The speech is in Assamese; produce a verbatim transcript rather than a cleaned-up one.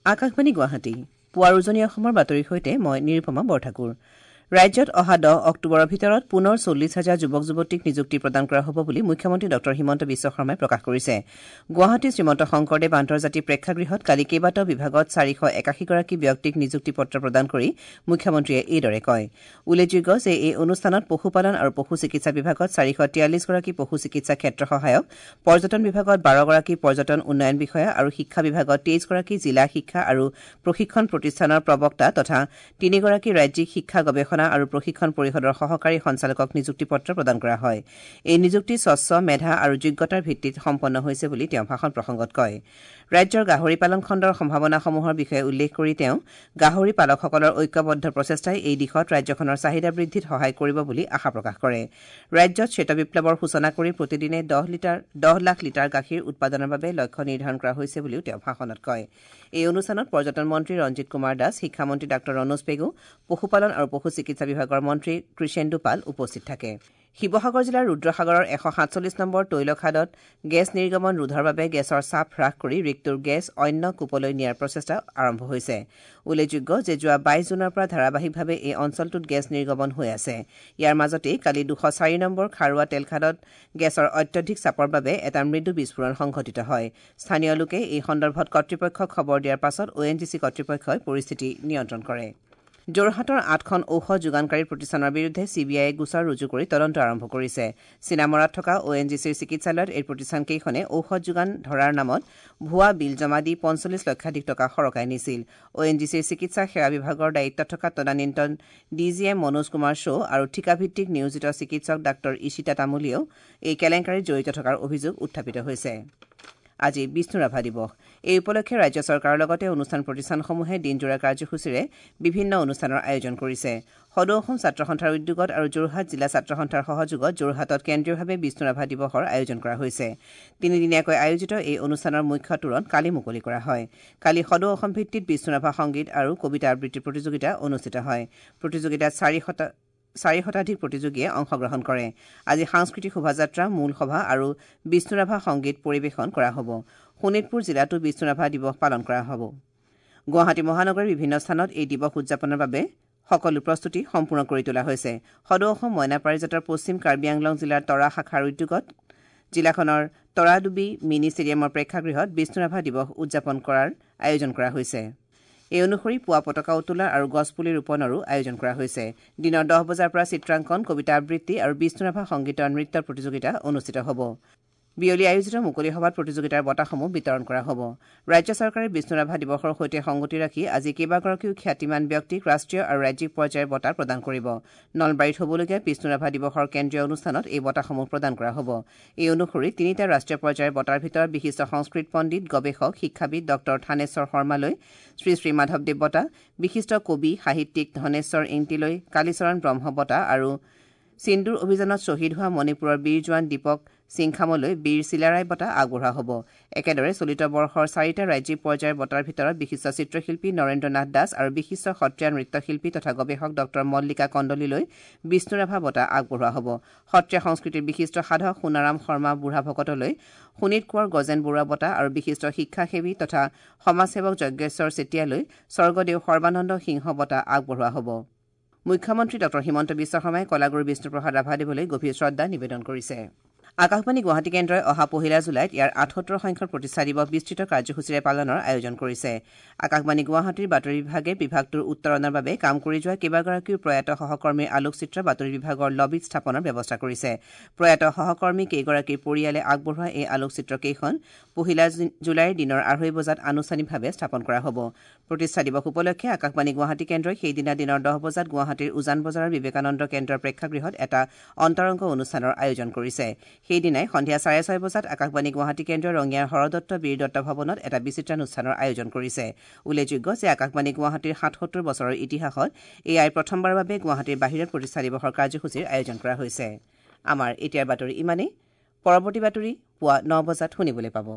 আকাশবাণী গুৱাহাটী পুৱাৰ উজনি অসমৰ বাতৰিৰ সৈতে মই নিৰুপমা বৰঠাকুৰ। ৰাজ্যত অহা দহ অক্টোবৰৰ ভিতৰত পুনৰ চল্লিছ হাজাৰ যুৱক যুৱতীক নিযুক্তি প্ৰদান কৰা হ'ব বুলি মুখ্যমন্ত্ৰী ডঃ হিমন্ত বিশ্ব শৰ্মাই প্ৰকাশ কৰিছে। গুৱাহাটীৰ শ্ৰীমন্ত শংকৰদেৱ আন্তৰ্জাতিক প্ৰেক্ষাগৃহত কালি কেইবাটাও বিভাগত চাৰিশ একাশীগৰাকী ব্যক্তিক নিযুক্তি পত্ৰ প্ৰদান কৰি মুখ্যমন্ত্ৰীয়ে এইদৰে কয়। উল্লেখযোগ্য যে এই অনুষ্ঠানত পশুপালন আৰু পশু চিকিৎসা বিভাগত চাৰিশ তিয়াল্লিছগৰাকী পশু চিকিৎসা ক্ষেত্ৰ সহায়ক, পৰ্যটন বিভাগত বাৰগৰাকী পৰ্যটন উন্নয়ন বিষয়া আৰু শিক্ষা বিভাগত তেইছগৰাকী জিলা শিক্ষা আৰু প্ৰশিক্ষণ প্ৰতিষ্ঠানৰ প্ৰবক্তা তথা তিনিগৰাকী ৰাজ্যিক শিক্ষা গৱেষণা আৰু প্ৰশিক্ষণ পৰিষদৰ সহকাৰী সঞ্চালকক নিযুক্তি পত্ৰ প্ৰদান কৰা হয়। এই নিযুক্তি স্বচ্ছ, মেধা আৰু যোগ্যতাৰ ভিত্তিত সম্পন্ন হৈছে বুলি তেওঁ ভাষণ প্ৰসংগত কয়। ৰাজ্যৰ গাহৰি পালন খণ্ডৰ সম্ভাৱনাসমূহৰ বিষয়ে উল্লেখ কৰি তেওঁ গাহৰি পালকসকলৰ ঐক্যবদ্ধ প্ৰচেষ্টাই এই দিশত ৰাজ্যখনৰ চাহিদা বৃদ্ধিত সহায় কৰিব বুলি আশা প্ৰকাশ কৰে। ৰাজ্যত শ্বেত বিপ্লৱৰ সূচনা কৰি প্ৰতিদিনে দহ লিটাৰ দহ লাখ লিটাৰ গাখীৰ উৎপাদনৰ বাবে লক্ষ্য নিৰ্ধাৰণ কৰা হৈছে বুলিও তেওঁ ভাষণত কয়। এই অনুষ্ঠানত পৰ্যটন মন্ত্ৰী ৰঞ্জিত কুমাৰ দাস, শিক্ষামন্ত্ৰী ডাঃ ৰণোজ পেগু, পশুপালন আৰু পশু চিকিৎসা বিভাগৰ মন্ত্ৰী কৃষেন্দু পাল উপস্থিত থাকে। শিৱসাগৰ জিলাৰ ৰুদ্ৰসাগৰৰ এশ সাতচল্লিছ নম্বৰ তৈলখাদত গেছ নিৰ্গমন ৰোধৰ বাবে গেছৰ চাপ হ্ৰাস কৰি ৰিগটোৰ গেছ অন্য কূপলৈ নিয়াৰ প্ৰচেষ্টা আৰম্ভ হৈছে। উল্লেখযোগ্য যে যোৱা বাইছ জুনৰ পৰা ধাৰাবাহিকভাৱে এই অঞ্চলটোত গেছ নিৰ্গমন হৈ আছে। ইয়াৰ মাজতেই কালি দুশ চাৰি নম্বৰ খাৰুৱা তেলখাদত গেছৰ অত্যধিক চাপৰ বাবে এটা মৃদু বিস্ফোৰণ সংঘটিত হয়। স্থানীয় লোকে এই সন্দৰ্ভত কৰ্তৃপক্ষক খবৰ দিয়াৰ পাছত অ' এন জি চি কৰ্তৃপক্ষই পৰিস্থিতি নিয়ন্ত্ৰণ কৰে। যোৰহাটৰ আঠখন ঔষধ যোগানকাৰী প্ৰতিষ্ঠানৰ বিৰুদ্ধে চি বি আইয়ে গোচৰ ৰুজু কৰি তদন্ত আৰম্ভ কৰিছে। চিনামৰাত থকা অ' এন জি চিৰ চিকিৎসালয়ত এই প্ৰতিষ্ঠানকেইখনে ঔষধ যোগান ধৰাৰ নামত ভুৱা বিল জমা দি পঞ্চল্লিছ লক্ষাধিক টকা সৰকাই নিছিল। অ' এন জি চিৰ চিকিৎসা সেৱা বিভাগৰ দায়িত্বত থকা তদানীন্তন D G M Manoj Kumar Shaw আৰু ঠিকাভিত্তিক নিয়োজিত চিকিৎসক ডাঃ ঈশিতা তামুলীয়েও এই কেলেংকাৰীত জড়িত থকাৰ অভিযোগ উত্থাপিত হৈছে। আজি বিষ্ণু ৰাভা দিৱস। এই উপলক্ষে ৰাজ্য চৰকাৰৰ লগতে অনুষ্ঠান প্ৰতিষ্ঠানসমূহে দিনজোৰা কাৰ্যসূচীৰে বিভিন্ন অনুষ্ঠানৰ আয়োজন কৰিছে। সদৌ অসম ছাত্ৰ সন্থাৰ উদ্যোগত আৰু যোৰহাট জিলা ছাত্ৰ সন্থাৰ সহযোগত যোৰহাটত কেন্দ্ৰীয়ভাৱে বিষ্ণু ৰাভা দিৱসৰ আয়োজন কৰা হৈছে। তিনিদিনীয়াকৈ আয়োজিত এই অনুষ্ঠানৰ মুখ্য তোৰণ কালি মুকলি কৰা হয়। কালি সদৌ অসম ভিত্তিত বিষ্ণু ৰাভা সংগীত আৰু কবিতা আবৃত্তি প্ৰতিযোগিতা অনুষ্ঠিত হয়। প্ৰতিযোগিতাত চাৰি শতা চাৰি শতাধিক প্ৰতিযোগীয়ে অংশগ্ৰহণ কৰে। আজি সাংস্কৃতিক শোভাযাত্ৰা, মূল সভা আৰু বিষ্ণুৰাভা সংগীত পৰিৱেশন কৰা হ'ব। শোণিতপুৰ জিলাতো বিষ্ণুৰাভা দিৱস পালন কৰা হ'ব। গুৱাহাটী মহানগৰীৰ বিভিন্ন স্থানত এই দিৱস উদযাপনৰ বাবে সকলো প্ৰস্তুতি সম্পূৰ্ণ কৰি তোলা হৈছে। সদৌ অসম মইনা পাৰিজাতৰ পশ্চিম কাৰ্বি আংলং জিলাৰ তৰা শাখাৰ উদ্যোগত জিলাখনৰ তৰাডুবি মিনি ষ্টেডিয়ামৰ প্ৰেক্ষাগৃহত বিষ্ণুৰাভা দিৱস উদযাপন কৰাৰ আয়োজন কৰা হৈছে। এই অনুসৰি পুৱা পতাকা উত্তোলন আৰু গছপুলি ৰোপণৰো আয়োজন কৰা হৈছে। দিনৰ দহ বজাৰ পৰা চিত্ৰাংকন, কবিতা আবৃত্তি আৰু বিষ্ণুৰাভা সংগীতৰ নৃত্যৰ প্ৰতিযোগিতা অনুষ্ঠিত হ'ব। বিয়লি আয়োজিত মুকলি সভাত প্ৰতিযোগিতাৰ বঁটাসমূহ বিতৰণ কৰা হ'ব। ৰাজ্য চৰকাৰে বিষ্ণুৰাভা দিৱসৰ সৈতে সংগতি ৰাখি আজি কেইবাগৰাকীও খ্যাতিমান ব্যক্তিক ৰাষ্ট্ৰীয় আৰু ৰাজ্যিক পৰ্যায়ৰ বঁটা প্ৰদান কৰিব। নলবাৰীত হ'বলগীয়া বিষ্ণুৰাভা দিৱসৰ কেন্দ্ৰীয় অনুষ্ঠানত এই বঁটাসমূহ প্ৰদান কৰা হ'ব। এই অনুসৰি তিনিটা ৰাষ্ট্ৰীয় পৰ্যায়ৰ বঁটাৰ ভিতৰত বিশিষ্ট সংস্কৃত পণ্ডিত, গৱেষক, শিক্ষাবিদ ডঃ থানেশ্বৰ শৰ্মালৈ শ্ৰী শ্ৰী মাধৱদেৱ বঁটা, বিশিষ্ট কবি সাহিত্যিক ধনেশ্বৰ ইংতিলৈ কালীচৰণ ব্ৰহ্ম বঁটা আৰু সিন্দুৰ অভিযানত শ্বহীদ হোৱা মণিপুৰৰ বীৰ জোৱান দীপক সিংখামলৈ বীৰ চিলাৰায় বঁটা আগবঢ়োৱা হ'ব। একেদৰে চলিত বৰ্ষৰ চাৰিটা ৰাজ্যিক পৰ্যায়ৰ বঁটাৰ ভিতৰত বিশিষ্ট চিত্ৰশিল্পী নৰেন্দ্ৰ নাথ দাস আৰু বিশিষ্ট সত্ৰীয়া নৃত্যশিল্পী তথা গৱেষক ডঃ মল্লিকা কন্দলীলৈ বিষ্ণুৰাভা বঁটা আগবঢ়োৱা হ'ব। সত্ৰীয়া সংস্কৃতিৰ বিশিষ্ট সাধক সোণাৰাম শৰ্মা বুঢ়া ভকতলৈ শোণিত কোঁৱৰ গজেন বৰুৱা বঁটা আৰু বিশিষ্ট শিক্ষাসেৱী তথা সমাজসেৱক যজ্ঞেশ্বৰ চেতিয়ালৈ স্বৰ্গদেউ সৰ্বানন্দ সিংহ বঁটা আগবঢ়োৱা হ'ব। মুখ্যমন্ত্ৰী ডঃ হিমন্ত বিশ্ব শৰ্মাই কলাগুৰু বিষ্ণুপ্ৰসাদ ৰাভাদেৱলৈ গভীৰ শ্ৰদ্ধা নিবেদন কৰিছে। আকাশবাণী গুৱাহাটী কেন্দ্ৰই অহা পহিলা জুলাইত ইয়াৰ আঠসত্তৰ সংখ্যক প্ৰতিষ্ঠা দিৱস বিস্তৃত কাৰ্যসূচীৰে পালনৰ আয়োজন কৰিছে। আকাশবাণী গুৱাহাটীৰ বাতৰি বিভাগে বিভাগটোৰ উত্তৰণৰ বাবে কাম কৰি যোৱা কেইবাগৰাকীও প্ৰয়াত সহকৰ্মীৰ আলোকচিত্ৰ বাতৰি বিভাগৰ লবীত স্থাপনৰ ব্যৱস্থা কৰিছে। প্ৰয়াত সহকৰ্মী কেইগৰাকীৰ পৰিয়ালে আগবঢ়োৱা এই আলোকচিত্ৰকেইখন পহিলা জুলাইৰ দিনৰ আঢ়ৈ বজাত আনুষ্ঠানিকভাৱে স্থাপন কৰা হ'ব। প্ৰতিষ্ঠা দিৱস উপলক্ষে আকাশবাণী গুৱাহাটী কেন্দ্ৰই সেইদিনা দিনৰ দহ বজাত গুৱাহাটীৰ উজান বজাৰৰ বিবেকানন্দ কেন্দ্ৰৰ প্ৰেক্ষাগৃহত এটা অন্তৰংগ অনুষ্ঠানৰ আয়োজন কৰিছে। সেইদিনাই সন্ধিয়া চাৰে ছয় বজাত আকাশবাণী গুৱাহাটী কেন্দ্ৰৰ ৰঙিয়াৰ হৰদত্ত বীৰদত্ত ভৱনত এটা বিচিত্ৰানুষ্ঠানৰ আয়োজন কৰিছে। উল্লেখযোগ্য যে আকাশবাণী গুৱাহাটীৰ সাতসত্তৰ বছৰৰ ইতিহাসত এয়াই প্ৰথমবাৰৰ বাবে গুৱাহাটীৰ বাহিৰত প্ৰতিষ্ঠা দিৱসৰ কাৰ্যসূচীৰ আয়োজন কৰা হৈছে। আমাৰ এতিয়াৰ বাতৰি ইমানেই। পৰৱৰ্তী বাতৰি পুৱা ন বজাত শুনিবলৈ পাব।